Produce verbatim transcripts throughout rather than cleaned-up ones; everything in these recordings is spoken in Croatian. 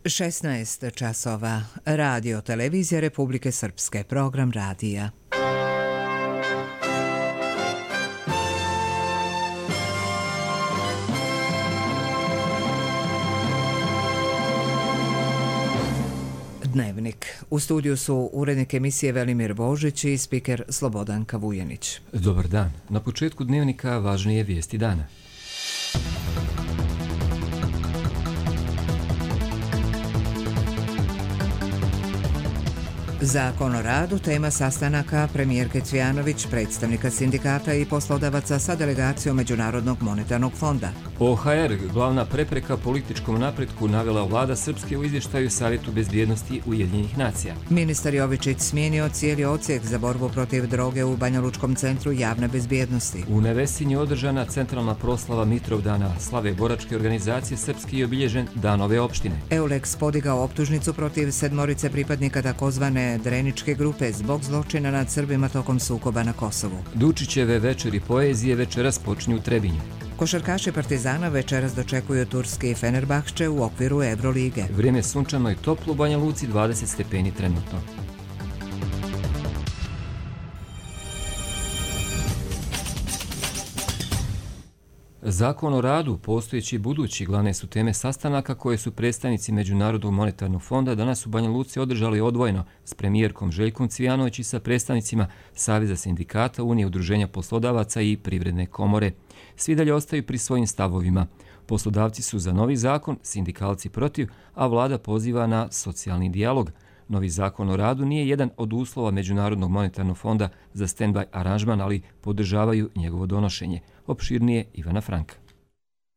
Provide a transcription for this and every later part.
šesnaest časova. Radio Televizija Republike Srpske. Program radija. Dnevnik. U studiju su urednik emisije Velimir Božić i spiker Slobodanka Vujanić. Dobar dan. Na početku dnevnika važnije vijesti dana. Zakon o radu, tema sastanaka premijerke Cvijanović, predstavnika sindikata i poslodavaca sa delegacijom Međunarodnog monetarnog fonda. O H R, glavna prepreka političkom napretku, navela vlada Srpske u izvještaju Savjetu bezbjednosti Ujedinjenih nacija. Ministar Jovičić smijenio cijeli odsjek za borbu protiv droge u Banjalučkom centru javne bezbjednosti. U Nevesinju održana centralna proslava Mitrovdana, slave boračke organizacije Srpski i obilježen Dan ove opštine. Eulex podigao optužnicu protiv sedmorice pripadnika takozvane Dreničke grupe zbog zločina nad Srbima tokom sukoba na Kosovu. Dučićeve večeri poezije večeras počinju u Trebinju. Košarkaši Partizana večeras dočekuju turski Fenerbahče u okviru Evrolige. Vrijeme sunčano i toplo u Banja Luci, dvadeset stepeni trenutno. Zakon o radu, postojeći i budući, glavne su teme sastanaka koje su predstavnici Međunarodnog monetarnog fonda danas u Banja Luci održali odvojeno s premijerkom Željkom Cvijanović i sa predstavnicima Saveza sindikata, Unije udruženja poslodavaca i Privredne komore. Svi dalje ostaju pri svojim stavovima. Poslodavci su za novi zakon, sindikalci protiv, a vlada poziva na socijalni dijalog. Novi zakon o radu nije jedan od uslova Međunarodnog monetarnog fonda za stand-by aranžman, ali podržavaju njegovo donošenje. Opširnije Ivana Franka.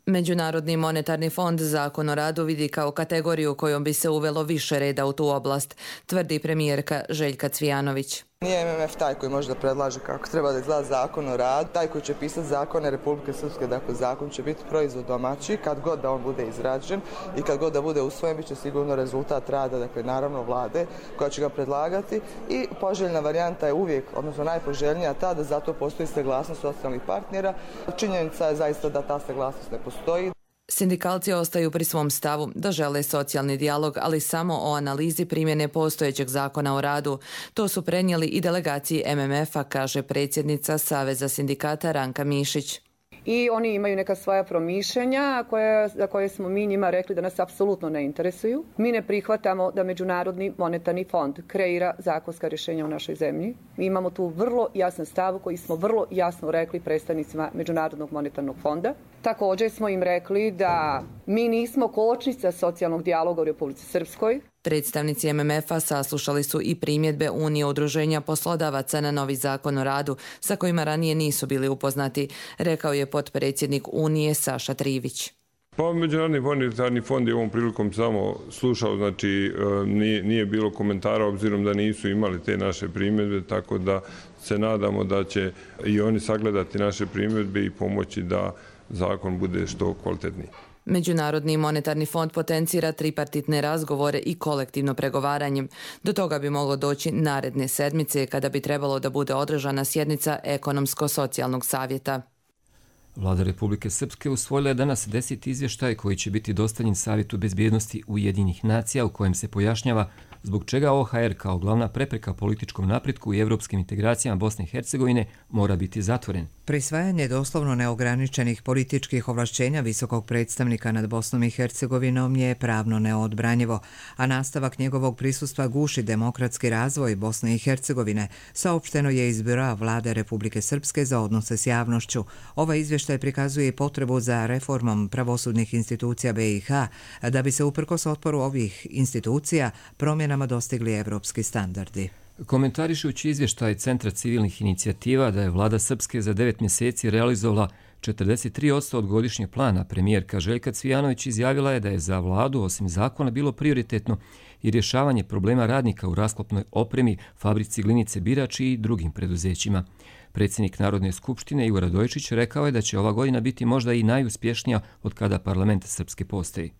Međunarodni monetarni fond zakon o radu vidi kao kategoriju kojom bi se uvelo više reda u tu oblast, tvrdi premijerka Željka Cvijanović. Nije M M F taj koji može da predlaže kako treba da izgleda zakon o radu, taj koji će pisati zakone Republike Srpske, dakle zakon će biti proizvod domaći, kad god da on bude izrađen i kad god da bude usvojen, bit će sigurno rezultat rada, dakle naravno vlade koja će ga predlagati i poželjna varijanta je uvijek, odnosno najpoželjnija ta da zato postoji saglasnost socijalnih partnera. Činjenica je zaista da ta saglasnost ne postoji. Sindikalci ostaju pri svom stavu da žele socijalni dijalog, ali samo o analizi primjene postojećeg zakona o radu. To su prenijeli i delegaciji M M F-a, kaže predsjednica Saveza sindikata Ranka Mišić. I oni imaju neka svoja promišljenja koje, za koje smo mi njima rekli da nas apsolutno ne interesuju. Mi ne prihvatamo da Međunarodni monetarni fond kreira zakonska rješenja u našoj zemlji. Mi imamo tu vrlo jasan stav koji smo vrlo jasno rekli predstavnicima Međunarodnog monetarnog fonda. Također smo im rekli da mi nismo kočnica socijalnog dijaloga u Republici Srpskoj. Predstavnici M M F-a saslušali su i primjedbe Unije udruženja poslodavaca na novi zakon o radu, sa kojima ranije nisu bili upoznati, rekao je potpredsjednik Unije Saša Trivić. Pa Međunarodni monetarni fond je ovom prilikom samo slušao, znači nije, nije bilo komentara obzirom da nisu imali te naše primjedbe, tako da se nadamo da će i oni sagledati naše primjedbe i pomoći da zakon bude što kvalitetniji. Međunarodni monetarni fond potencira tripartitne razgovore i kolektivno pregovaranje. Do toga bi moglo doći naredne sedmice kada bi trebalo da bude održana sjednica Ekonomsko-socijalnog savjeta. Vlada Republike Srpske usvojila je danas deseti izvještaj koji će biti dostavljen Savjetu bezbjednosti Ujedinjenih nacija u kojem se pojašnjava zbog čega O H R kao glavna prepreka političkom napretku i evropskim integracijama Bosne i Hercegovine mora biti zatvoren. Prisvajanje doslovno neograničenih političkih ovlašćenja visokog predstavnika nad Bosnom i Hercegovinom je pravno neodbranjivo, a nastavak njegovog prisustva guši demokratski razvoj Bosne i Hercegovine, saopšteno je iz Biroa Vlade Republike Srpske za odnose s javnošću. Ovaj izvještaj prikazuje potrebu za reformom pravosudnih institucija B i H, da bi se uprkos otporu ovih institucija promjenama dostigli evropski standardi. Komentarišući izvještaj Centra civilnih inicijativa da je vlada Srpske za devet mjeseci realizovala četrdeset tri posto od godišnjeg plana, premijerka Željka Cvijanović izjavila je da je za vladu osim zakona bilo prioritetno i rješavanje problema radnika u rasklopnoj opremi, fabrici Glinice Birač i drugim preduzećima. Predsjednik Narodne skupštine Igor Radojičić rekao je da će ova godina biti možda i najuspješnija od kada parlament Srpske postoji.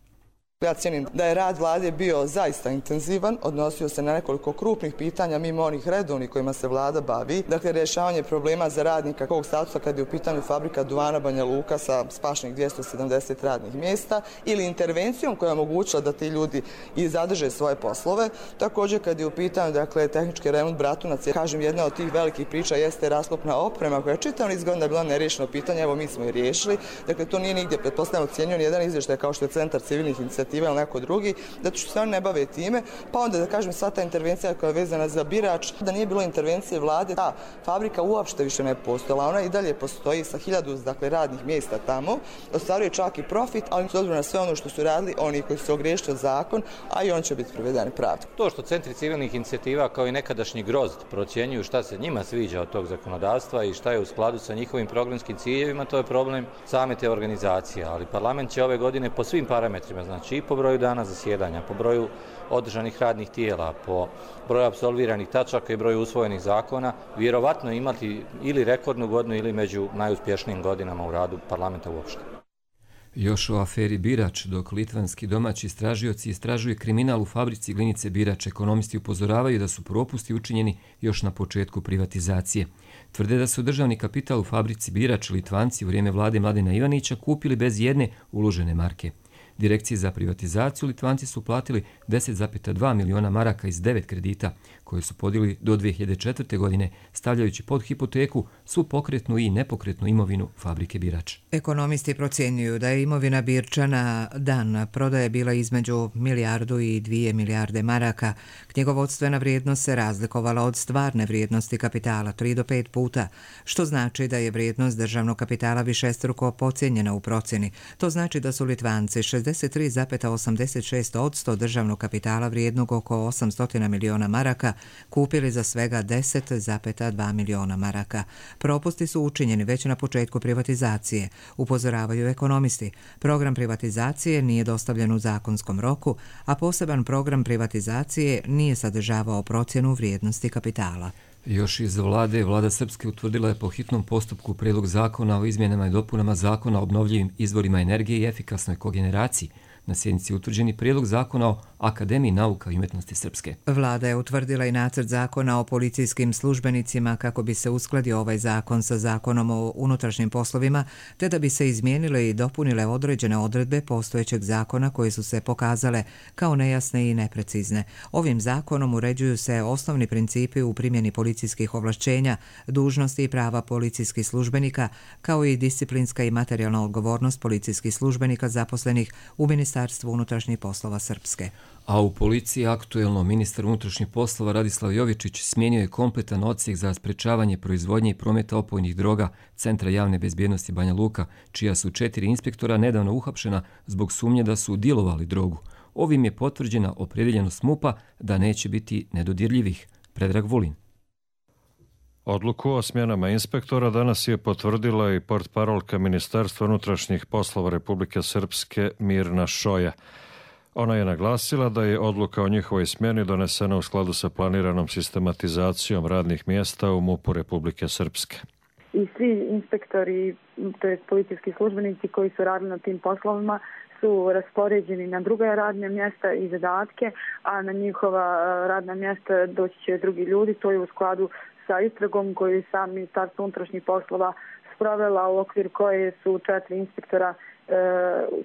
Ja cijenim da je rad vlade bio zaista intenzivan, odnosio se na nekoliko krupnih pitanja mimo onih redovnih kojima se vlada bavi. Dakle, rješavanje problema za radnika kog statusa kad je u pitanju fabrika duvana Banja Luka sa spašenih dvjesto sedamdeset radnih mjesta ili intervencijom koja je omogućila da ti ljudi i zadrže svoje poslove. Također kad je u pitanju dakle, tehnički remont Bratunac, kažem jedna od tih velikih priča jeste rasklopna oprema koja je čitav niz godina bila nerješeno pitanje, evo mi smo je riješili. Dakle, to nije nigdje pretpostavljeno ocijenio nijedan izvještaj kao što je Centar civilnih inicijativa ili neko drugi, da ću se oni ne bave time, pa onda da kažem sva ta intervencija koja je vezana za birač, da nije bilo intervencije vlade, ta fabrika uopšte više ne postojala, ona i dalje postoji sa hiljadu dakle, radnih mjesta tamo, ostvaruje čak i profit, ali s obzirom na sve ono što su radili, oni koji su ogriješili o zakon, a i on će biti privedeni pravdi. To što centri civilnih inicijativa kao i nekadašnji grozd procjenjuju šta se njima sviđa od tog zakonodavstva i šta je u skladu sa njihovim programskim ciljevima, to je problem same te organizacije, ali parlament će ove godine po svim parametrima, znači i po broju dana zasjedanja, po broju održanih radnih tijela, po broju apsolviranih tačaka i broju usvojenih zakona, vjerovatno imati ili rekordnu godinu ili među najuspješnijim godinama u radu parlamenta uopšte. Još o aferi Birač, dok litvanski domaći istražioci istražuju kriminal u fabrici glinice Birač, ekonomisti upozoravaju da su propusti učinjeni još na početku privatizacije. Tvrde da su državni kapital u fabrici Birač Litvanci u vrijeme vlade Mladena Ivanića kupili bez jedne uložene marke. Direkciji za privatizaciju Litvanci su platili deset zarez dva miliona maraka iz devet kredita koje su podijeli do dvije hiljade četvrte. godine, stavljajući pod hipoteku svu pokretnu i nepokretnu imovinu fabrike Birač. Ekonomisti procjenjuju da je imovina Birčana dan prodaje bila između milijardu i dvije milijarde maraka. Knjigovodstvena vrijednost se razlikovala od stvarne vrijednosti kapitala tri do pet puta, što znači da je vrijednost državnog kapitala višestruko pocijenjena u procjeni. To znači da su Litvanci šezdeset tri zarez osamdeset šest posto državnog kapitala vrijednog oko osamsto miliona maraka kupili za svega deset zarez dva miliona maraka. Propusti su učinjeni već na početku privatizacije, upozoravaju ekonomisti. Program privatizacije nije dostavljen u zakonskom roku, a poseban program privatizacije nije sadržavao procjenu vrijednosti kapitala. Još iz vlade, vlada Srpske utvrdila je po hitnom postupku prijedlog zakona o izmjenama i dopunama zakona o obnovljivim izvorima energije i efikasnoj kogeneraciji. Na sjednici je utvrđeni prijedlog zakona o Akademiji nauka i umjetnosti Srpske. Vlada je utvrdila i nacrt zakona o policijskim službenicima kako bi se uskladio ovaj zakon sa zakonom o unutrašnjim poslovima, te da bi se izmijenile i dopunile određene odredbe postojećeg zakona koje su se pokazale kao nejasne i neprecizne. Ovim zakonom uređuju se osnovni principi u primjeni policijskih ovlašćenja, dužnosti i prava policijskih službenika, kao i disciplinska i materijalna odgovornost policijskih službenika zaposlenih u Ministarstvu unutrašnjih poslova Srpske. A u policiji aktuelno ministar unutrašnjih poslova Radislav Jovičić smijenio je kompletan odsjek za sprečavanje proizvodnje i prometa opojnih droga Centra javne bezbjednosti Banja Luka, čija su četiri inspektora nedavno uhapšena zbog sumnje da su dilovali drogu. Ovim je potvrđena opredjeljenost MUP-a da neće biti nedodirljivih. Predrag Vulin. Odluku o smjenama inspektora danas je potvrdila i portparolka Ministarstva unutrašnjih poslova Republike Srpske Mirna Šoja. Ona je naglasila da je odluka o njihovoj smjeni donesena u skladu sa planiranom sistematizacijom radnih mjesta u MUP-u Republike Srpske. I svi inspektori, to jest policijski službenici koji su radili na tim poslovima, su raspoređeni na druga radna mjesta i zadatke, a na njihova radna mjesta doći će drugi ljudi. To je u skladu sa istragom koju je sam Ministarstvo unutrašnjih poslova sprovela, u okviru koje su četiri inspektora e,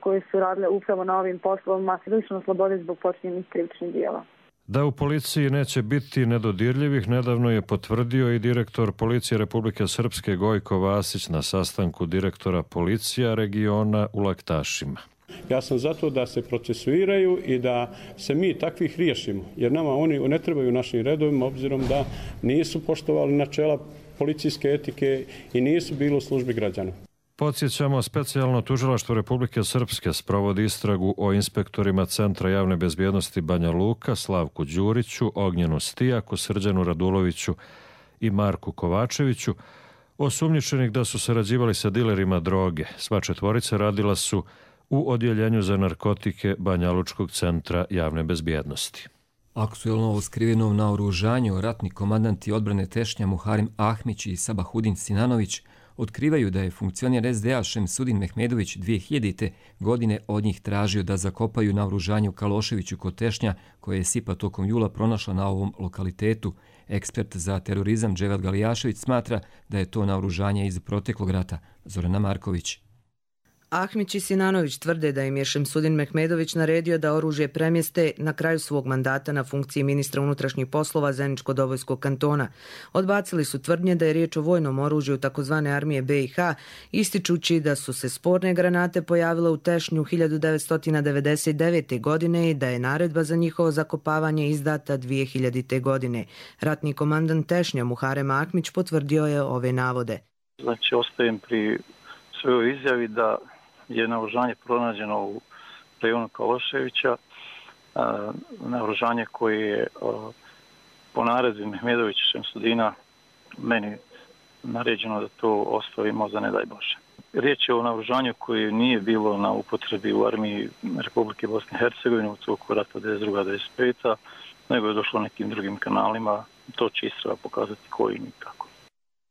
koji su radile upravo na ovim poslovima lišeno slobode zbog počinjenih krivičnih djela. Da u policiji neće biti nedodirljivih, nedavno je potvrdio i direktor Policije Republike Srpske Gojko Vasić na sastanku direktora policija regiona u Laktašima. Ja sam zato da se procesuiraju i da se mi takvih riješimo, jer nama oni ne trebaju našim redovima, obzirom da nisu poštovali načela policijske etike i nisu bili u službi građana. Podsjećamo, specijalno tužilaštvo Republike Srpske sprovodi istragu o inspektorima Centra javne bezbjednosti Banja Luka, Slavku Đuriću, Ognjenu Stijaku, Srđanu Raduloviću i Marku Kovačeviću, osumnjičenih da su sarađivali sa dilerima droge. Sva četvorica radila su u odjeljenju za narkotike Banjalučkog centra javne bezbjednosti. Aktuelno o skrivenom naoružanju ratni komandanti odbrane Tešnja Muharim Ahmić i Sabahudin Sinanović otkrivaju da je funkcioner es de a Šemsudin Mehmedović dvije hiljadite. godine od njih tražio da zakopaju naoružanje u Kaloševiću kod Tešnja, koje je SIPA tokom jula pronašla na ovom lokalitetu. Ekspert za terorizam Dževad Galijašević smatra da je to naoružanje iz proteklog rata. Zorana Marković. Ahmić i Sinanović tvrde da im je Šemsudin Mehmedović naredio da oružje premjeste na kraju svog mandata na funkciji ministra unutrašnjih poslova Zeničko-Dobojskog kantona. Odbacili su tvrdnje da je riječ o vojnom oružju takozvane armije be i ha, ističući da su se sporne granate pojavile u Tešnju hiljadu devetsto devedeset devete. godine i da je naredba za njihovo zakopavanje izdata dvije hiljadite. godine. Ratni komandant Tešnja Muharem Ahmić potvrdio je ove navode. Znači, ostajem pri svojoj izjavi da je naoružanje pronađeno u rejonu Kaloševića, naoružanje koje je po naredbi Mehmedovića Šemsudina meni naređeno da to ostavimo za ne daj Bože. Riječ je o naoružanju koje nije bilo na upotrebi u armiji Republike Bosne i Hercegovine u toku rata devedeset druga do devedeset peta. nego je došlo nekim drugim kanalima. To će istraga pokazati koji ni kako.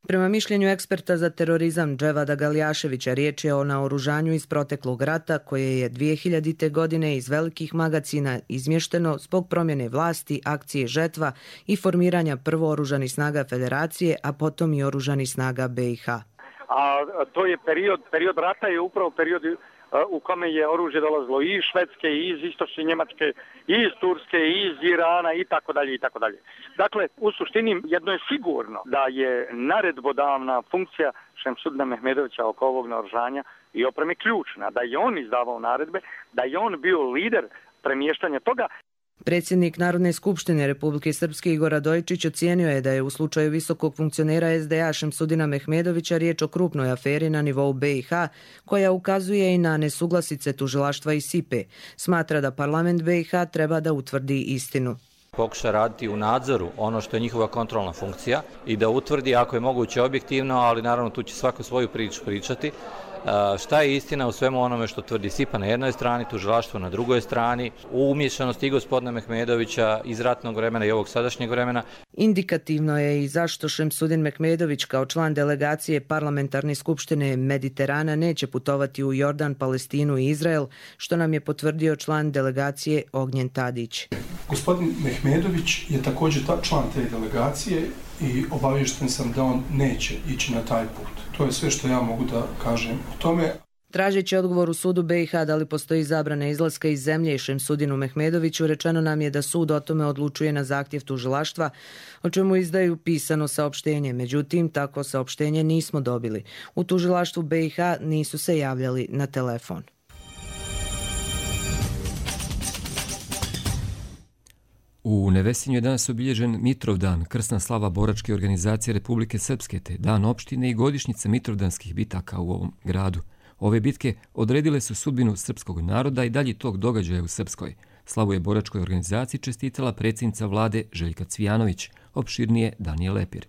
Prema mišljenju eksperta za terorizam Dževada Galijaševića, riječ je o naoružanju iz proteklog rata koje je dvije hiljadite. godine iz velikih magacina izmješteno zbog promjene vlasti, akcije Žetva i formiranja prvo oružanih snaga Federacije, a potom i oružanih snaga be i ha. A to je period, period rata je upravo period u kome je oružje dolazilo i iz Švedske, i iz istočne Njemačke, i iz Turske, i iz Irana i tako dalje i tako dalje. Dakle, u suštini jedno je sigurno da je naredbodavna funkcija Šemsudina Mehmedovića oko ovog naoružanja i opreme ključna, da je on izdavao naredbe, da je on bio lider premještanja toga. Predsjednik Narodne skupštine Republike Srpske Igor Radojičić ocijenio je da je u slučaju visokog funkcionera es de a Šemsudina Mehmedovića riječ o krupnoj aferi na nivou be i ha, koja ukazuje i na nesuglasice tužilaštva i sipe. Smatra da parlament be i ha treba da utvrdi istinu. Pokuša raditi u nadzoru ono što je njihova kontrolna funkcija i da utvrdi ako je moguće objektivno, ali naravno tu će svako svoju priču pričati. Šta je istina u svemu onome što tvrdi SIPA na jednoj strani, tužilaštvo na drugoj strani, u umješanosti i gospodina Mehmedovića iz ratnog vremena i ovog sadašnjeg vremena. Indikativno je i zašto Šemsudin Mehmedović kao član delegacije Parlamentarne skupštine Mediterana neće putovati u Jordan, Palestinu i Izrael, što nam je potvrdio član delegacije Ognjen Tadić. Gospodin Mehmedović je također član te delegacije i obaviješten sam da on neće ići na taj put. To je sve što ja mogu da kažem o tome. Tražeći odgovor u sudu be i ha da li postoji zabrana izlaska iz zemlje i Šemsudinu Mehmedoviću, rečeno nam je da sud o tome odlučuje na zahtjev tužilaštva, o čemu izdaju pisano saopštenje. Međutim, tako saopštenje nismo dobili. U tužilaštvu be i ha nisu se javljali na telefon. U Nevesinju je danas obilježen Mitrovdan, krsna slava boračke organizacije Republike Srpske, te dan opštine i godišnjica mitrovdanskih bitaka u ovom gradu. Ove bitke odredile su sudbinu srpskog naroda i dalje tog događaja u Srpskoj. Slavu je boračkoj organizaciji čestitala predsjednica vlade Željka Cvijanović, opširnije Danijel Lepir.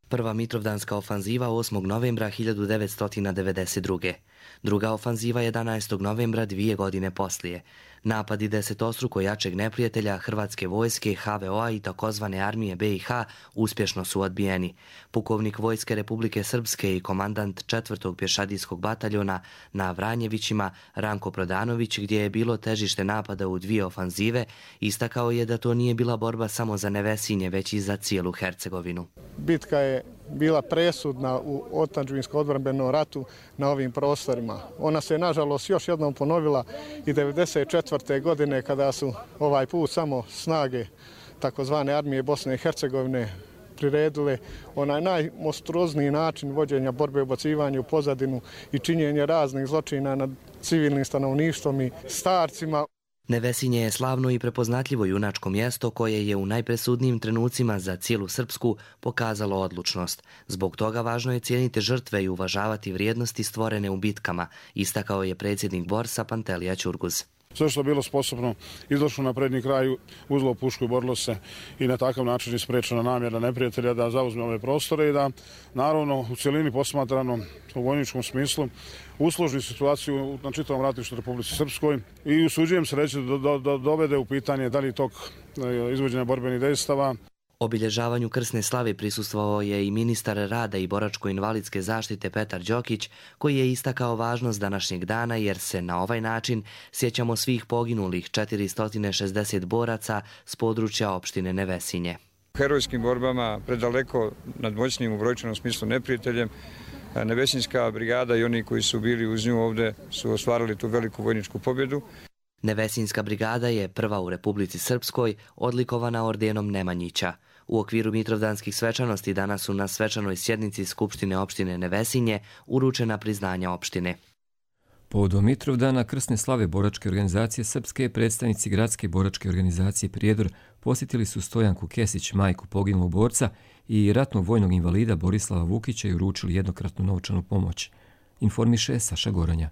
Prva mitrovdanska ofanziva osmog novembra hiljadu devetsto devedeset druge. Druga ofanziva jedanaestog novembra dvije godine poslije. Napadi desetostruko jačeg neprijatelja Hrvatske vojske, ha ve o a i takozvane armije be i ha uspješno su odbijeni. Pukovnik Vojske Republike Srpske i komandant četvrtog pješadijskog bataljona na Vranjevićima Ranko Prodanović, gdje je bilo težište napada u dvije ofanzive, istakao je da to nije bila borba samo za Nevesinje, već i za cijelu Hercegovinu. Bitka je bila presudna u otadžbinsko-odbrambenom ratu na ovim prostorima. Ona se nažalost još jednom ponovila i devedeset četvrte. godine kada su ovaj put samo snage takozvane armije Bosne i Hercegovine priredile onaj najmonstruozniji način vođenja borbe, ubacivanja u pozadinu i činjenje raznih zločina nad civilnim stanovništvom i starcima. Nevesinje je slavno i prepoznatljivo junačko mjesto koje je u najpresudnijim trenucima za cijelu Srpsku pokazalo odlučnost. Zbog toga važno je cijeniti žrtve i uvažavati vrijednosti stvorene u bitkama, istakao je predsjednik Borsa Pantelija Ćurguz. Sve što je bilo sposobno izdošlo na prednji kraj, uzelo pušku i borilo se i na takav način isprečena namjera neprijatelja da zauzme ove prostore i da naravno u cjelini posmatrano u vojničkom smislu usloži situaciju na čitavom ratištu Republici Srpskoj i usuđujem se reći da do, do, dovede u pitanje da li tog izvođenja borbenih dejstava. Obilježavanju krsne slave prisustvovao je i ministar rada i boračko-invalidske zaštite Petar Đokić, koji je istakao važnost današnjeg dana jer se na ovaj način sjećamo svih poginulih četiristo šezdeset boraca s područja opštine Nevesinje. U herojskim borbama predaleko nadmoćnim u brojčanom smislu neprijateljem, Nevesinjska brigada i oni koji su bili uz nju ovdje su ostvarili tu veliku vojničku pobjedu. Nevesinjska brigada je prva u Republici Srpskoj odlikovana ordenom Nemanjića. U okviru Mitrovdanskih svečanosti danas su na svečanoj sjednici Skupštine opštine Nevesinje uručena priznanja opštine. Povodom Mitrovdana krsne slave boračke organizacije Srpske, predstavnici gradske boračke organizacije Prijedor posjetili su Stojanku Kesić, majku poginulog borca, i ratnog vojnog invalida Borislava Vukića i uručili jednokratnu novčanu pomoć. Informiše Saša Goranja.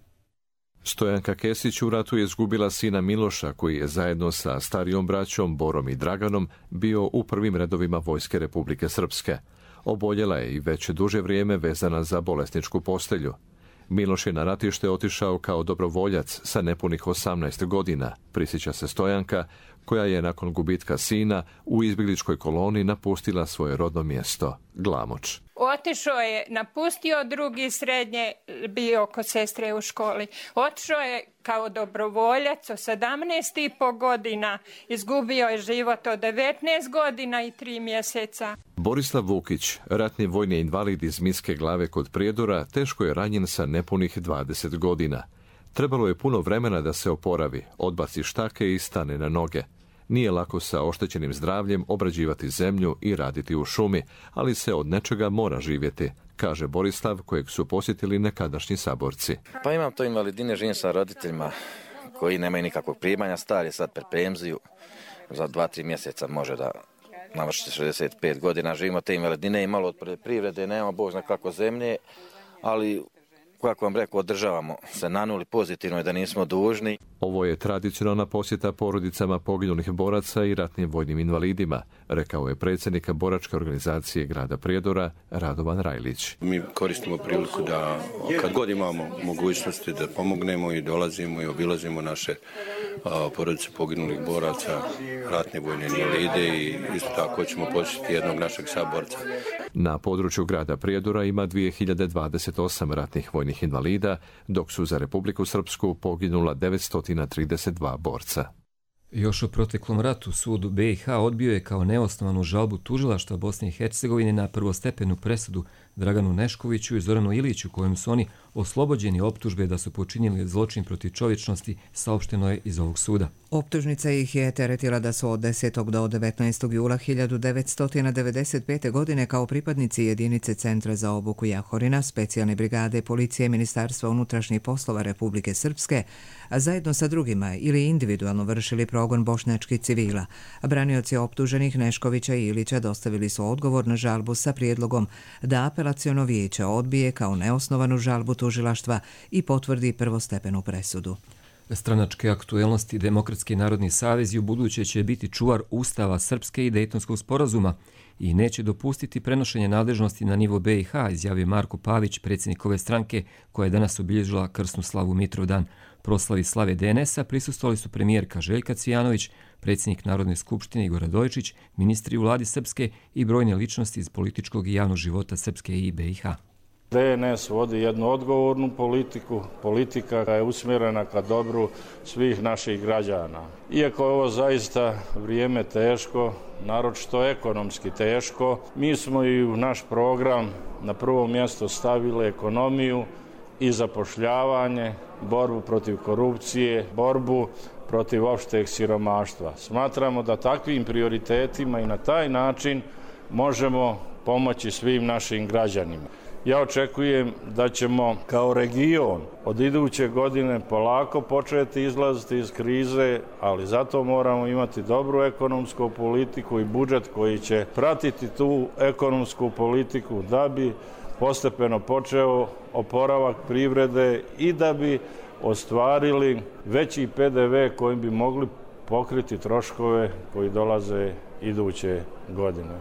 Stojanka Kesić u ratu je izgubila sina Miloša, koji je zajedno sa starijom braćom Borom i Draganom bio u prvim redovima Vojske Republike Srpske. Oboljela je i već duže vrijeme vezana za bolesničku postelju. Miloš je na ratište otišao kao dobrovoljac sa nepunih osamnaest godina, prisjeća se Stojanka, koja je nakon gubitka sina u izbjegličkoj koloni napustila svoje rodno mjesto, Glamoč. Otišao je, napustio drugi srednje, bio kod sestre u školi. Otišao je kao dobrovoljac od sedamnaest i po godina, izgubio je život od devetnaest godina i tri mjeseca. Borislav Vukić, ratni vojni invalid iz Miske Glave kod Prijedora, teško je ranjen sa nepunih dvadeset godina. Trebalo je puno vremena da se oporavi, odbaci štake i stane na noge. Nije lako sa oštećenim zdravljem obrađivati zemlju i raditi u šumi, ali se od nečega mora živjeti, kaže Borislav, kojeg su posjetili nekadašnji saborci. Pa imam to invalidine, živim sa roditeljima koji nemaju nikakvog primanja, star je sad pred penziju, za dva, tri mjeseca može da navrši šezdeset pet godina, živimo te invalidine i malo od privrede, nemamo Bog zna kako zemlje, ali kako vam rekao, održavamo se na nuli, pozitivno je da nismo dužni. Ovo je tradicionalna posjeta porodicama poginulih boraca i ratnim vojnim invalidima, rekao je predsjednik boračke organizacije grada Prijedora Radovan Rajlić. Mi koristimo priliku da kad god imamo mogućnosti da pomognemo i dolazimo i obilazimo naše a, porodice poginulih boraca, ratne vojne invalide i isto tako ćemo posjetiti jednog našeg saborca. Na području grada Prijedora ima dvije hiljade dvadeset osam ratnih vojnih invalida, dok su za Republiku Srpsku poginula devetsto trideset dva borca. Još u proteklom ratu sud B i H odbio je kao neosnovanu žalbu tužilaštva Bosne i Hercegovine na prvostepenu presudu Draganu Neškoviću i Zoranu Iliću, kojim su oni oslobođeni optužbe da su počinili zločin protiv čovječnosti, saopšteno je iz ovog suda. Optužnica ih je teretila da su od desetog do devetnaestog jula hiljadu devetsto devedeset pete. godine kao pripadnici jedinice Centra za obuku Jahorina, specijalne brigade policije Ministarstva unutrašnjih poslova Republike Srpske, a zajedno sa drugima ili individualno vršili progon bošnjačkih civila. Branioci optuženih Neškovića i Ilića dostavili su odgovor na žalbu sa prijedlogom da apelaciono vijeće odbije kao neosnovanu žalbu tužilaštva i potvrdi prvostepenu presudu. Stranačke aktuelnosti Demokratski narodni savez u buduće će biti čuvar Ustava Srpske i Dejtonskog sporazuma i neće dopustiti prenošenje nadležnosti na nivo B i H, izjavio Marko Pavić, predsjednik ove stranke koja je danas obilježila krsnu slavu Mitrovdan. Proslavi slave D N S-a prisustvovali su premijerka Željka Cvijanović, predsjednik Narodne skupštine Igor Radojičić, ministri u vladi Srpske i brojne ličnosti iz političkog i javnog života Srpske i B i H. D N S vodi jednu odgovornu politiku, politika koja je usmjerena ka dobru svih naših građana. Iako je ovo zaista vrijeme teško, naročito ekonomski teško, mi smo i u naš program na prvo mjesto stavili ekonomiju i zapošljavanje, borbu protiv korupcije, borbu protiv opšteg siromaštva. Smatramo da takvim prioritetima i na taj način možemo pomoći svim našim građanima. Ja očekujem da ćemo kao region od iduće godine polako početi izlaziti iz krize, ali zato moramo imati dobru ekonomsku politiku i budžet koji će pratiti tu ekonomsku politiku da bi postepeno počeo oporavak privrede i da bi ostvarili veći P D V kojim bi mogli pokriti troškove koji dolaze iduće godine.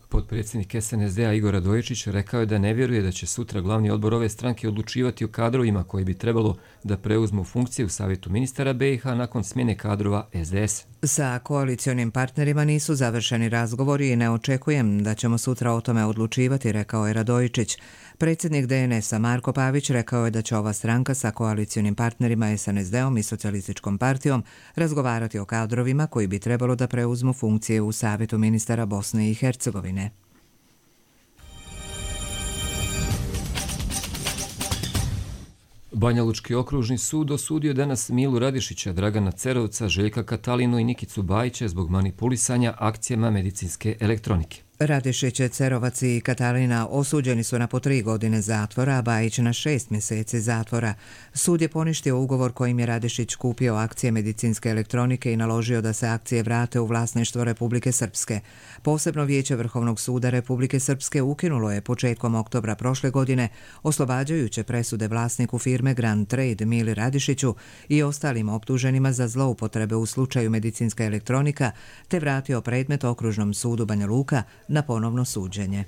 Potpredsjednik S N S D-a Igor Radojičić rekao je da ne vjeruje da će sutra glavni odbor ove stranke odlučivati o kadrovima koji bi trebalo da preuzmu funkcije u Savjetu ministara B i H nakon smjene kadrova S D S. Sa koalicionim partnerima nisu završeni razgovori i ne očekujem da ćemo sutra o tome odlučivati, rekao je Radojičić. Predsjednik D N S-a Marko Pavić rekao je da će ova stranka sa koalicionim partnerima S N S D-om i Socijalističkom partijom razgovarati o kadrovima koji bi trebalo da preuzmu funkcije u Savjetu ministara Bosne i Hercegovine. Banjalučki okružni sud osudio danas Milu Radišića, Dragana Cerovca, Željka Katalinu i Nikicu Bajića zbog manipulisanja akcijama medicinske elektronike. Radišić, Cerovac i Katalina osuđeni su na po tri godine zatvora, a Bajić na šest mjeseci zatvora. Sud je poništio ugovor kojim je Radišić kupio akcije medicinske elektronike i naložio da se akcije vrate u vlasništvo Republike Srpske. Posebno vijeće Vrhovnog suda Republike Srpske ukinulo je početkom oktobra prošle godine oslobađajuće presude vlasniku firme Grand Trade Mili Radišiću i ostalim optuženima za zloupotrebe u slučaju medicinska elektronika, te vratio predmet Okružnom sudu Banja Luka na ponovno suđenje.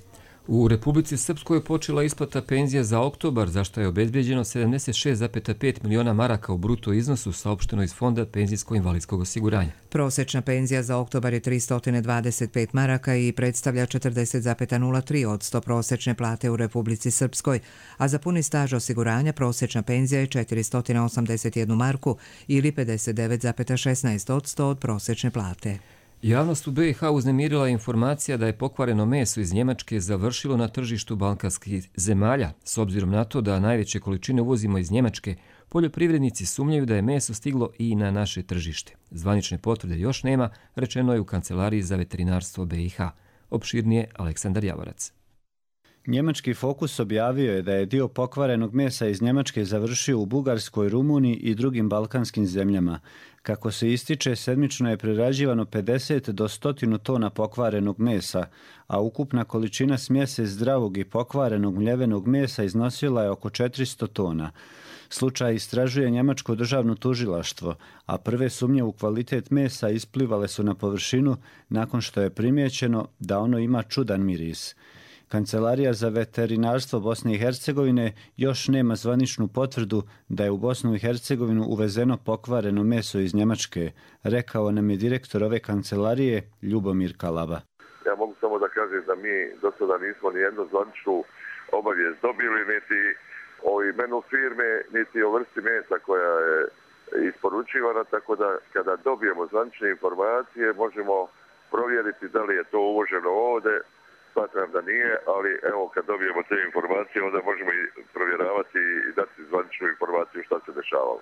U Republici Srpskoj je počela isplata penzija za oktobar, za što je obezbeđeno sedamdeset šest zarez pet miliona maraka u bruto iznosu, saopšteno iz Fonda penzijsko-invalidskog osiguranja. Prosječna penzija za oktobar je tristo dvadeset pet maraka i predstavlja četrdeset zarez nula tri posto prosječne plate u Republici Srpskoj, a za puni staž osiguranja prosječna penzija je četiristo osamdeset jednu marku ili pedeset devet zarez šesnaest posto od prosječne plate. Javnost u B i H uznemirila informacija da je pokvareno meso iz Njemačke završilo na tržištu balkanskih zemalja. S obzirom na to da najveće količine uvozimo iz Njemačke, poljoprivrednici sumnjaju da je meso stiglo i na naše tržište. Zvanične potvrde još nema, rečeno je u Kancelariji za veterinarstvo B i H. Opširnije Aleksandar Javorac. Njemački Fokus objavio je da je dio pokvarenog mesa iz Njemačke završio u Bugarskoj, Rumuniji i drugim balkanskim zemljama. Kako se ističe, sedmično je prerađivano pedeset do sto tona pokvarenog mesa, a ukupna količina smjese zdravog i pokvarenog mljevenog mesa iznosila je oko četiristo tona. Slučaj istražuje njemačko državno tužilaštvo, a prve sumnje u kvalitet mesa isplivale su na površinu nakon što je primijećeno da ono ima čudan miris. Kancelarija za veterinarstvo Bosne i Hercegovine još nema zvaničnu potvrdu da je u Bosnu i Hercegovinu uvezeno pokvareno meso iz Njemačke, rekao nam je direktor ove kancelarije Ljubomir Kalaba. Ja mogu samo da kažem da mi do sada nismo ni jednu zvaničnu obavijest dobili, niti o imenu firme, niti o vrsti mesa koja je isporučivana, tako da kada dobijemo zvanične informacije možemo provjeriti da li je to uvoženo ovdje. Smatram da nije, ali evo kad dobijemo te informacije onda možemo i provjeravati i dati zvaničnu informaciju šta se dešavalo.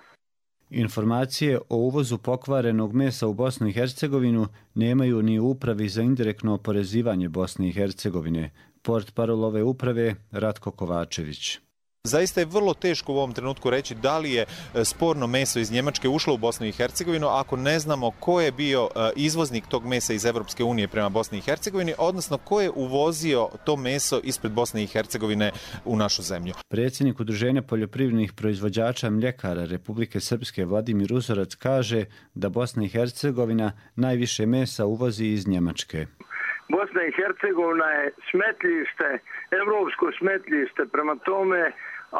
Informacije o uvozu pokvarenog mesa u Bosnu i Hercegovinu nemaju ni u upravi za indirektno oporezivanje Bosne i Hercegovine. Portparol ove uprave Ratko Kovačević. Zaista je vrlo teško u ovom trenutku reći da li je sporno meso iz Njemačke ušlo u Bosnu i Hercegovinu ako ne znamo ko je bio izvoznik tog mesa iz Evropske unije prema Bosni i Hercegovini, odnosno ko je uvozio to meso ispred Bosne i Hercegovine u našu zemlju. Predsjednik Udruženja poljoprivrednih proizvođača mljekara Republike Srpske Vladimir Uzorac kaže da Bosna i Hercegovina najviše mesa uvozi iz Njemačke. Bosna i Hercegovina je smetlište, evropsko smetlište, prema tome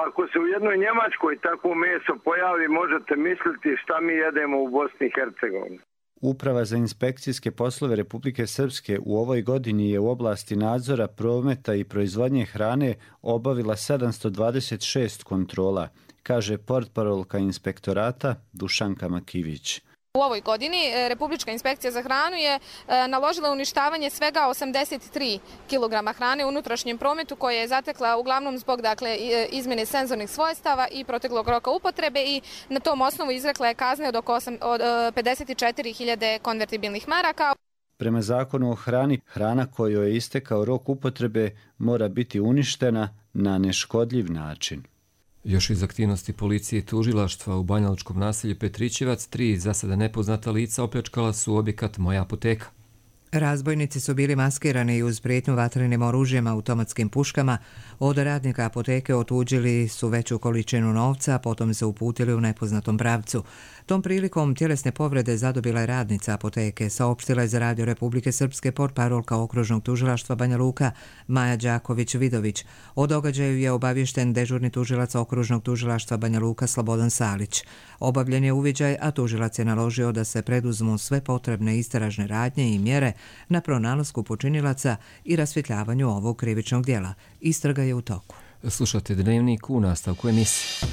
ako se u jednoj Njemačkoj takvo meso pojavi, možete misliti šta mi jedemo u Bosni i Hercegovini. Uprava za inspekcijske poslove Republike Srpske u ovoj godini je u oblasti nadzora, prometa i proizvodnje hrane obavila sedamsto dvadeset šest kontrola, kaže portparolka inspektorata Dušanka Makivić. U ovoj godini Republička inspekcija za hranu je naložila uništavanje svega osamdeset tri kilograma hrane u unutrašnjem prometu koje je zatekla uglavnom zbog dakle, izmjene senzornih svojstava i proteklog roka upotrebe i na tom osnovu izrekla je kazne od oko osam, od pedeset četiri hiljade konvertibilnih maraka. Prema zakonu o hrani, hrana kojoj je istekao rok upotrebe mora biti uništena na neškodljiv način. Još iz aktivnosti policije i tužilaštva u banjalučkom naselju Petrićevac, tri za sada nepoznata lica opljačkala su objekat Moja apoteka. Razbojnici su bili maskirani i uz prijetnju vatrenim oružjem, automatskim puškama. Od radnika apoteke otuđili su veću količinu novca, a potom se uputili u nepoznatom pravcu. Tom prilikom tjelesne povrede zadobila je radnica apoteke, saopštila je za Radio Republike Srpske portparolka okružnog tužilaštva Banja Luka Maja Đaković-Vidović. O događaju je obaviješten dežurni tužilac okružnog tužilaštva Banja Luka Slobodan Salić. Obavljen je uviđaj, a tužilac je naložio da se preduzmu sve potrebne istražne radnje i mjere na pronalasku počinilaca i rasvjetljavanju ovog krivičnog djela. Istraga je u toku. Slušate Dnevnik u nastavku emisije.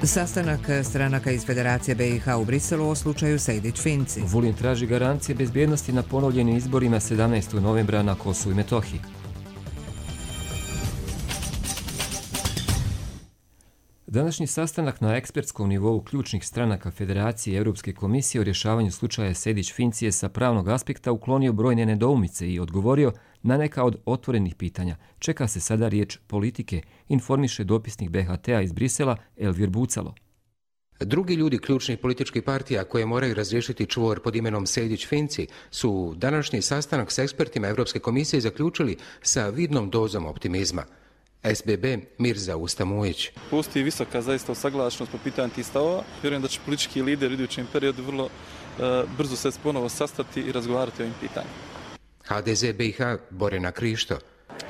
Sastanak stranaka iz Federacije B i H u Briselu o slučaju Sejdić-Finci. Vulin traži garancije bezbjednosti na ponovljenim izborima sedamnaestog novembra na Kosovu i Metohiji. Današnji sastanak na ekspertskom nivou ključnih stranaka Federacije i Europske komisije o rješavanju slučaja Sejdić-Finci je sa pravnog aspekta uklonio brojne nedoumice i odgovorio na neka od otvorenih pitanja. Čeka se sada riječ politike, informiše dopisnik B H T-a iz Brisela Elvir Bucalo. Drugi ljudi ključnih političkih partija koje moraju razriješiti čvor pod imenom Sejdić-Finci su današnji sastanak s ekspertima Europske komisije zaključili sa vidnom dozom optimizma. S B B Mirza Ustamujić. Postoji visoka zaista usaglašenost po pitanju tih stavova. Vjerujem da će politički lider u idućem periodu vrlo uh, brzo se ponovo sastati i razgovarati o ovim pitanjima. H D Z B i H Borena Krišto.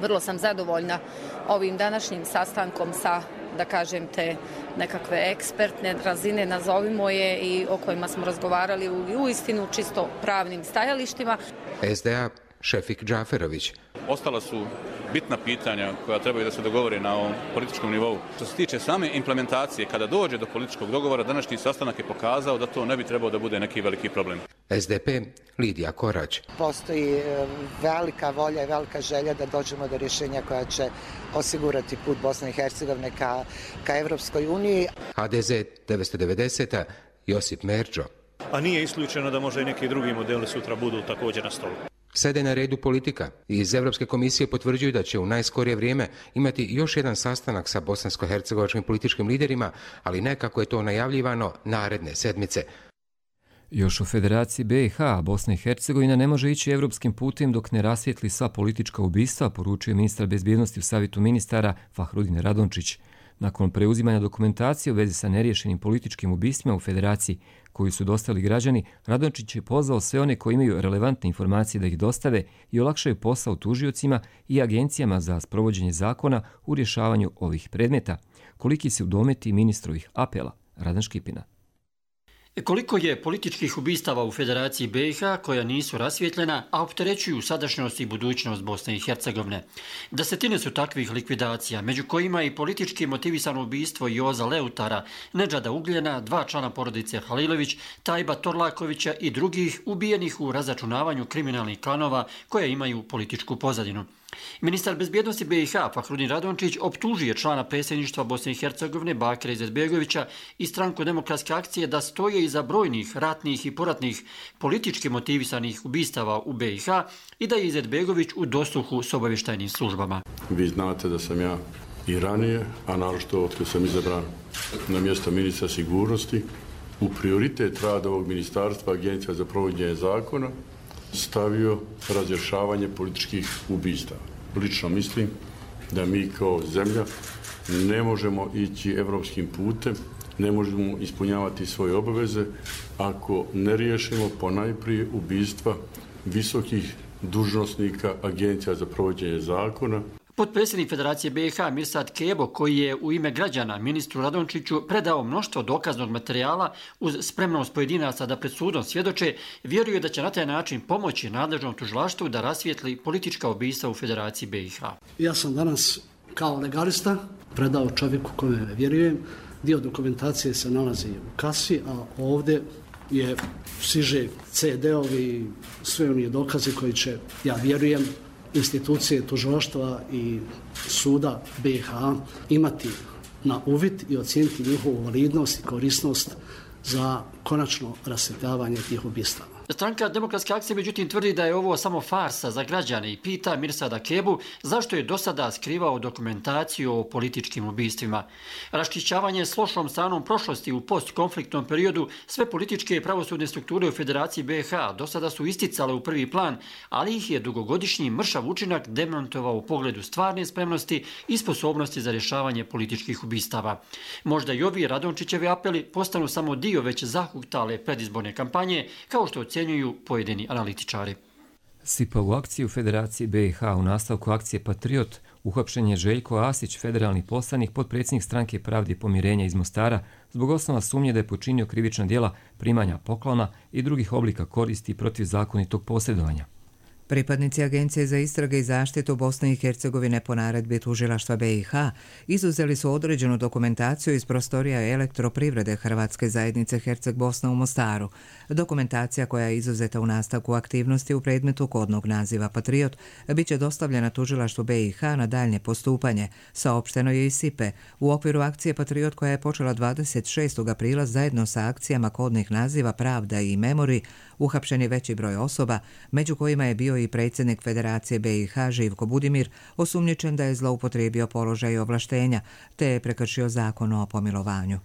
Vrlo sam zadovoljna ovim današnjim sastankom sa, da kažem, te nekakve ekspertne razine, nazovimo je, i o kojima smo razgovarali u, u istinu čisto pravnim stajalištima. S D A Šefik Džaferović. Ostala su bitna pitanja koja trebaju da se dogovore na ovom političkom nivou. Što se tiče same implementacije, kada dođe do političkog dogovora, današnji sastanak je pokazao da to ne bi trebao da bude neki veliki problem. S D P Lidija Korać. Postoji velika volja i velika želja da dođemo do rješenja koja će osigurati put Bosne i Hercegovine ka, ka Evropskoj uniji. H D Z devetsto devedeset Josip Merđo. A nije isključeno da možda i neki drugi modeli sutra budu također na stolu. Sada je na redu politika. Iz Europske komisije potvrđuju da će u najskorije vrijeme imati još jedan sastanak sa bosansko-hercegovačkim političkim liderima, ali ne kako je to najavljivano naredne sedmice. Još u Federaciji B i H Bosna i Hercegovina ne može ići evropskim putem dok ne rasvijetli sva politička ubistva, poručuje ministar bezbjednosti u Savjetu ministara Fahrudin Radončić. Nakon preuzimanja dokumentacije u vezi sa neriješenim političkim ubistvima u Federaciji koju su dostavili građani, Radončić je pozvao sve one koji imaju relevantne informacije da ih dostave i olakšaju posao tužiocima i agencijama za sprovođenje zakona u rješavanju ovih predmeta. Koliki se udometi ministrovih apela? Radan Škipina. Koliko je političkih ubistava u Federaciji B i H koja nisu rasvjetljena, a opterećuju sadašnjost i budućnost Bosne i Hercegovine. Desetine su takvih likvidacija, među kojima i politički motivisano ubistvo Joza Leutara, Nedžada Ugljena, dva člana porodice Halilović, Tajba Torlakovića i drugih ubijenih u razračunavanju kriminalnih klanova koje imaju političku pozadinu. Ministar bezbjednosti B i H Fahrudin Radončić optužuje člana predsjedništva Bosne i Hercegovine Bakira Izetbegovića i stranku Demokratske akcije da stoje iza brojnih ratnih i poratnih politički motivisanih ubistava u B i H i da je Izetbegović u dosluhu s obavještajnim službama. Vi znate da sam ja i ranije, a naročito od kad sam izabran na mjesto ministra sigurnosti, u prioritet rada ovog ministarstva Agencija za provođenje zakona stavio razrješavanje političkih ubistava. Lično mislim da mi kao zemlja ne možemo ići evropskim putem, ne možemo ispunjavati svoje obaveze ako ne riješimo ponajprije ubistva visokih dužnosnika Agencija za provođenje zakona. Potpredsjednik Federacije B i H Mirsad Kebo, koji je u ime građana ministru Radončiću predao mnoštvo dokaznog materijala uz spremnost pojedinaca da pred sudom svjedoče, vjeruje da će na taj način pomoći nadležnom tužilaštvu da rasvijetli politička ubistva u Federaciji B i H. Ja sam danas kao legalista predao čovjeku kome vjerujem. Dio dokumentacije se nalazi u kasi, a ovdje je siže ce de-ovi, sve oni dokazi koji će, ja vjerujem, institucije tužilaštva i suda B i H imati na uvid i ocijeniti njihovu validnost i korisnost za konačno rasvjetljavanje tih ubistava. Stranka Demokratske akcije međutim tvrdi da je ovo samo farsa za građane i pita Mirsada Kebu zašto je do sada skrivao dokumentaciju o političkim ubistvima. Raščišćavanje s lošom stranom prošlosti u postkonfliktnom periodu sve političke i pravosudne strukture u Federaciji B i H do sada su isticale u prvi plan, ali ih je dugogodišnji mršav učinak demantovao u pogledu stvarne spremnosti i sposobnosti za rješavanje političkih ubistava. Možda i ovi Radončićevi apeli postanu samo dio već zahuktale predizborne kampanje, kao što ocjenjuju pojedini analitičari. Sipa u akciju Federaciji B i H u nastavku akcije Patriot uhapšen je Željko Asić, federalni poslanik, potpredsjednik Stranke Pravde i pomirenja iz Mostara, zbog osnova sumnje da je počinio krivična djela primanja poklona i drugih oblika koristi protiv zakonitog posjedovanja. Pripadnici Agencije za istrage i zaštitu Bosne i Hercegovine po naredbi tužilaštva B i H izuzeli su određenu dokumentaciju iz prostorija elektroprivrede Hrvatske zajednice Herceg Bosna u Mostaru. Dokumentacija koja je izuzeta u nastavku aktivnosti u predmetu kodnog naziva Patriot bit će dostavljena tužilaštvu B i H na daljnje postupanje, saopšteno je iz Sipe. U okviru akcije Patriot koja je počela dvadeset šestog aprila zajedno sa akcijama kodnih naziva Pravda i Memori, uhapšen je veći broj osoba, među kojima je bio i predsjednik Federacije B i H Živko Budimir, osumnjičen da je zloupotrijebio položaj i ovlaštenja, te je prekršio zakon o pomilovanju.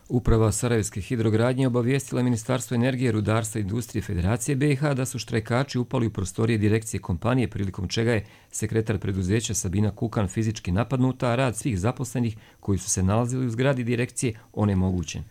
Uprava Sarajevske hidrogradnje obavijestila Ministarstvo energije, rudarstva i industrije Federacije B i H da su štrajkači upali u prostorije direkcije kompanije, prilikom čega je sekretar preduzeća Sabina Kukan fizički napadnuta, a rad svih zaposlenih koji su se nalazili u zgradi direkcije onemogućen.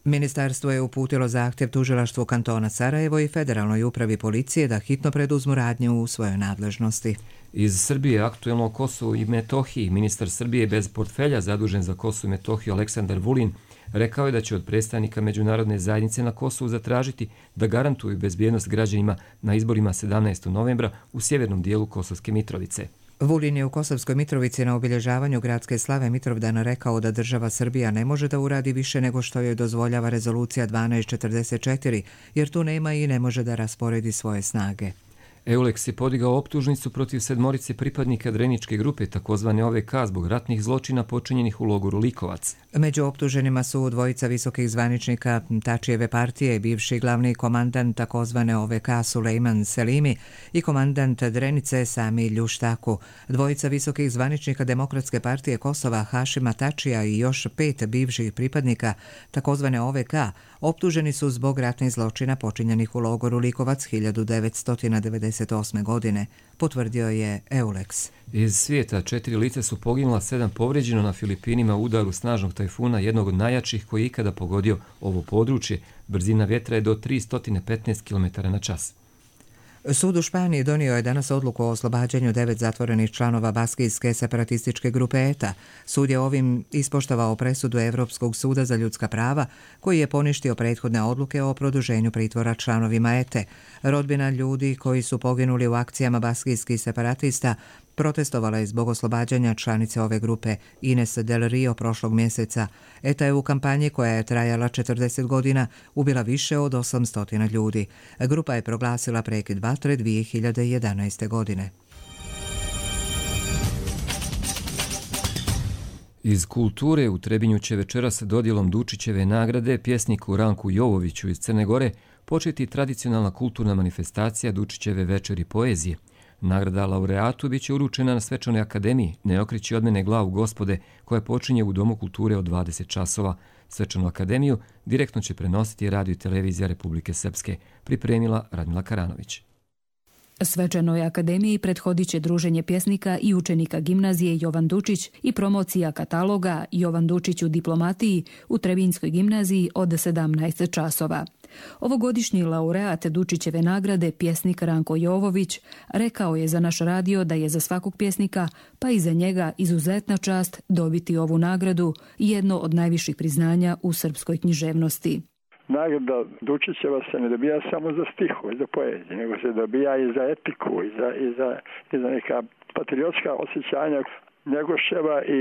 Ministarstvo je uputilo zahtjev tužilaštvu kantona Sarajevo i Federalnoj upravi policije da hitno preduzmu radnje u svojoj nadležnosti. Iz Srbije aktuelno o Kosovu i Metohiji ministar Srbije bez portfelja zadužen za Kosovo i Metohiju Aleksandar Vulin rekao je da će od predstavnika međunarodne zajednice na Kosovu zatražiti da garantuju bezbjednost građanima na izborima sedamnaestog novembra u sjevernom dijelu Kosovske Mitrovice. Vulin je u Kosovskoj Mitrovici na obilježavanju gradske slave Mitrovdana rekao da država Srbija ne može da uradi više nego što joj dozvoljava rezolucija dvanaest četrdeset četiri, jer tu nema i ne može da rasporedi svoje snage. Euleks je podigao optužnicu protiv sedmorice pripadnika Dreničke grupe, takozvane O V K, zbog ratnih zločina počinjenih u logoru Likovac. Među optuženima su dvojica visokih zvaničnika Tačijeve partije, bivši glavni komandant takozvane O V K Sulejman Selimi i komandant Drenice Sami Ljuštaku, dvojica visokih zvaničnika Demokratske partije Kosova Hašima Tačija i još pet bivših pripadnika takozvane O V K optuženi su zbog ratnih zločina počinjenih u logoru Likovac hiljadu devetsto devedeset osme. godine, potvrdio je Euleks. Iz svijeta četiri lica su poginula, sedam povrijeđeno na Filipinima u udaru snažnog tajfuna, jednog od najjačih koji je ikada pogodio ovo područje. Brzina vjetra je do tristo petnaest kilometara na čas. Sud u Španiji donio je danas odluku o oslobađanju devet zatvorenih članova baskijske separatističke grupe E T A. Sud je ovim ispoštovao presudu Evropskog suda za ljudska prava, koji je poništio prethodne odluke o produženju pritvora članovima E T E. Rodbina ljudi koji su poginuli u akcijama baskijskih separatista protestovala je zbog oslobađanja članice ove grupe Ines Del Rio prošlog mjeseca. E T A je u kampanji koja je trajala četrdeset godina ubila više od osamsto ljudi. Grupa je proglasila prekid vatre dvije hiljade jedanaeste. godine. Iz kulture u Trebinju će večeras dodjelom Dučićeve nagrade pjesniku Ranku Jovoviću iz Crne Gore početi tradicionalna kulturna manifestacija Dučićeve večeri poezije. Nagrada laureatu bit će uručena na Svečanoj akademiji Ne okreći od mene glavu gospode, koja počinje u Domu kulture od dvadeset časova. Svečanu akademiju direktno će prenositi Radio i televizija Republike Srpske, pripremila Radmila Karanović. Svečanoj akademiji prethodit će druženje pjesnika i učenika gimnazije Jovan Dučić i promocija kataloga Jovan Dučić u diplomatiji u Trebinjskoj gimnaziji od sedamnaest časova. Ovogodišnji laureat Dučićeve nagrade, pjesnik Ranko Jovović, rekao je za naš radio da je za svakog pjesnika, pa i za njega, izuzetna čast dobiti ovu nagradu, jedno od najviših priznanja u srpskoj književnosti. Nagrada Dučićeva se ne dobija samo za stihu i za poeziju, nego se dobija i za etiku i za, i za, i za neka patriotska osjećanja Njegoševa i,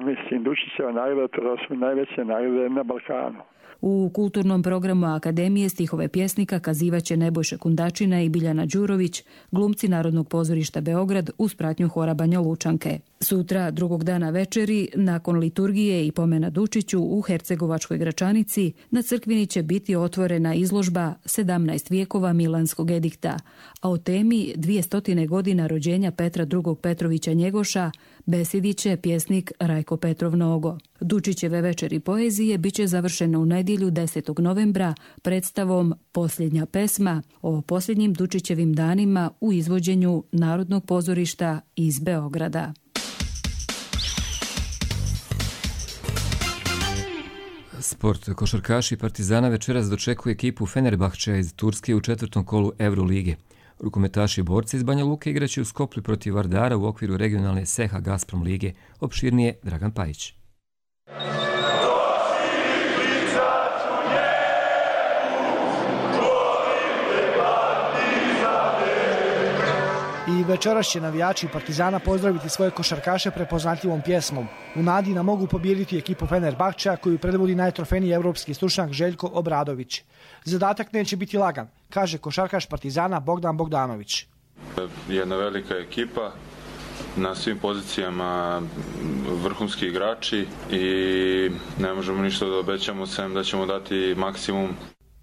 mislim, Dučićeva nagrada, to su najveće nagrade na Balkanu. U kulturnom programu Akademije stihove pjesnika kazivaće Nebojša Kundačina i Biljana Đurović, glumci Narodnog pozorišta Beograd uz pratnju hora Banja Lučanke. Sutra, drugog dana večeri, nakon liturgije i pomena Dučiću u Hercegovačkoj Gračanici, na crkvini će biti otvorena izložba sedamnaest vijekova Milanskog edikta, a o temi dvjesto godina rođenja Petra drugog Petrovića Njegoša besedit će pjesnik Rajko Petrov Nogo. Dučićeve večeri poezije bit će završena u nedjelju desetog novembra predstavom Posljednja pesma o posljednjim Dučićevim danima u izvođenju Narodnog pozorišta iz Beograda. Sport. Košarkaši Partizana večeras dočekuje ekipu Fenerbahčeja iz Turske u četvrtom kolu Eurolige. Rukometaši borci iz Banja Luke igraće u Skoplju protiv Vardara u okviru regionalne Seha Gazprom lige. Opširnije Dragan Pajić. I večeras će navijači Partizana pozdraviti svoje košarkaše prepoznatljivom pjesmom. U nadi da mogu pobijediti ekipu Fenerbahčeja koju predvodi najtrofejniji evropski stručnjak Željko Obradović. Zadatak neće biti lagan, kaže košarkaš Partizana Bogdan Bogdanović. Jedna velika ekipa, na svim pozicijama vrhunski igrači i ne možemo ništa da obećamo, sem da ćemo dati maksimum.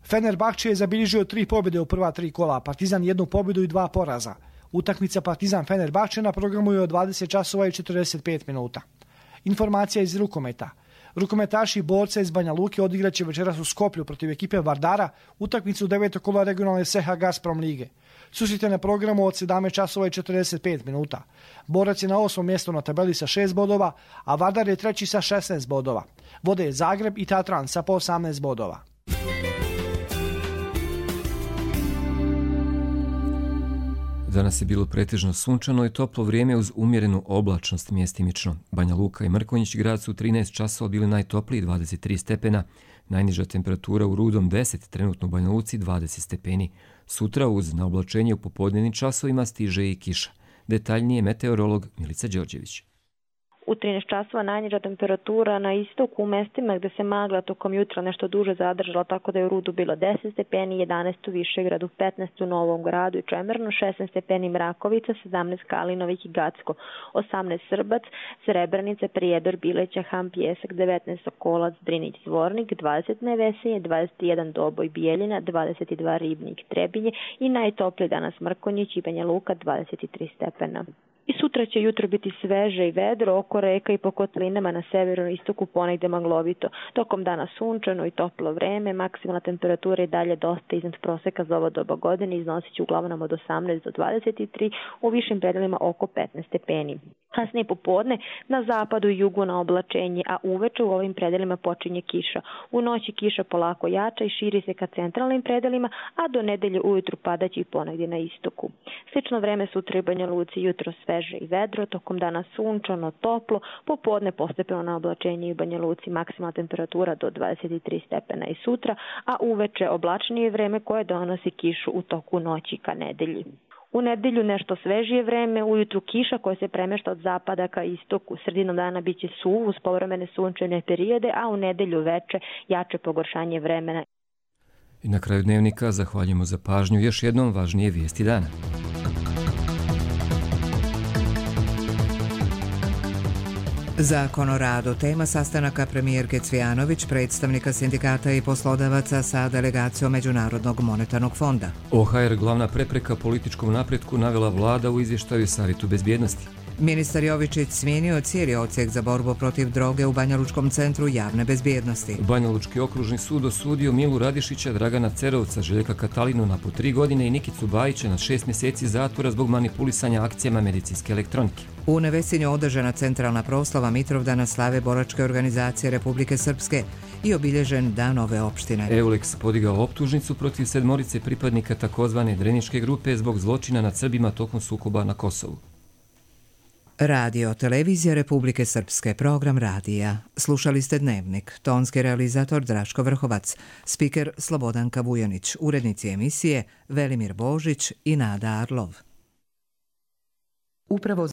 Fenerbahče je zabilježio tri pobjede u prva tri kola, Partizan jednu pobjedu i dva poraza. Utakmica Partizan-Fenerbahče na programu je od dvadeset časova i četrdeset pet minuta. Informacija iz rukometa. Rukometaši borca iz Banja Luke odigraće večeras u Skoplju protiv ekipe Vardara utakmicu devetog kola regionalne Seha Gazprom lige. Susrite na programu od sedamnaest časova i četrdeset pet minuta. Borac je na osmom mjestu na tabeli sa šest bodova, a Vardar je treći sa šesnaest bodova. Vode je Zagreb i Tatran sa po osamnaest bodova. Danas je bilo pretežno sunčano i toplo vrijeme uz umjerenu oblačnost mjestimično. Banja Luka i Mrkonjić grad su trinaest časova bili najtopliji dvadeset tri stepena, najniža temperatura u Rudom deset, trenutno u Banja Luci dvadeset stepeni. Sutra uz na oblačenje u popodnevnim časovima stiže i kiša. Detaljnije meteorolog Milica Đorđević. U trinaest časova najniža temperatura na istoku u mestima gdje se magla tokom jutra nešto duže zadržala, tako da je u Rudu bilo deset stepeni, jedanaest u Višegradu, petnaest u Novom Gradu i Čemernu, šesnaest stepeni Mrakovica, sedamnaest Kalinovik i Gacko, osamnaest Srbac, Srebrenica, Prijedor, Bileća, Ham, Pjesak, devetnaest Sokolac, Drinić, Zvornik, dvadeset Nevesinje, dvadeset jedan Doboj, Bijeljina, dvadeset dva Ribnik, Trebinje i najtopliji danas Mrkonjić i Banja Luka, dvadeset tri stepena. I sutra će jutro biti sveže i vedro oko reka i po kotlinama na severu i istoku ponegde maglovito. Tokom dana sunčano i toplo vreme, maksimalna temperatura je dalje dosta iznad proseka za ovo doba godine, iznosit će uglavnom od osamnaest do dvadeset tri, u višim predelima oko petnaest stepeni. Kasnije popodne na zapadu i jugu na oblačenje, a uveče u ovim predelima počinje kiša. U noći kiša polako jača i širi se ka centralnim predelima, a do nedelje ujutru padaće i ponegdje na istoku. Slično vreme sutra i Banja Luci, jutro sveže i vedro, tokom dana sunčano, toplo, popodne postepeno na oblačenje i Banja Luci maksimalna temperatura do dvadeset tri stepena i sutra, a uveče oblačnije vreme koje donosi kišu u toku noći ka nedelji. U nedelju nešto svežije vreme, ujutru kiša koja se premješta od zapada ka istoku. Sredinom dana bit će suv uz povremene sunčane periode, a u nedelju veče jače pogoršanje vremena. I na kraju dnevnika zahvaljujemo za pažnju. Još jednom važnije vijesti dana. Zakon o radu, tema sastanaka premijerke Cvijanović, predstavnika sindikata i poslodavaca sa delegacijom Međunarodnog monetarnog fonda. O H R glavna prepreka političkom napretku navela vlada u izvještaju Savjetu bezbjednosti. Ministar Jovičić smijenio cijeli odsjek za borbu protiv droge u Banjalučkom centru javne bezbjednosti. Banjalučki okružni sud osudio Milu Radišića, Dragana Cerovca, Željka Katalinu na po tri godine i Nikicu Bajića na šest mjeseci zatvora zbog manipulisanja akcijama medicinske elektronike. U Nevesinju održana centralna proslava Mitrovdana slave boračke organizacije Republike Srpske i obilježen dan ove opštine. Euleks podigao optužnicu protiv sedmorice pripadnika takozvane Dreničke grupe zbog zločina nad Srbima tokom sukoba na Kosovu. Radio Televizija Republike Srpske, program radija. Slušali ste Dnevnik, tonski realizator Draško Vrhovac, spiker Slobodanka Vujanić, urednici emisije Velimir Božić i Nada Arlov. Upravo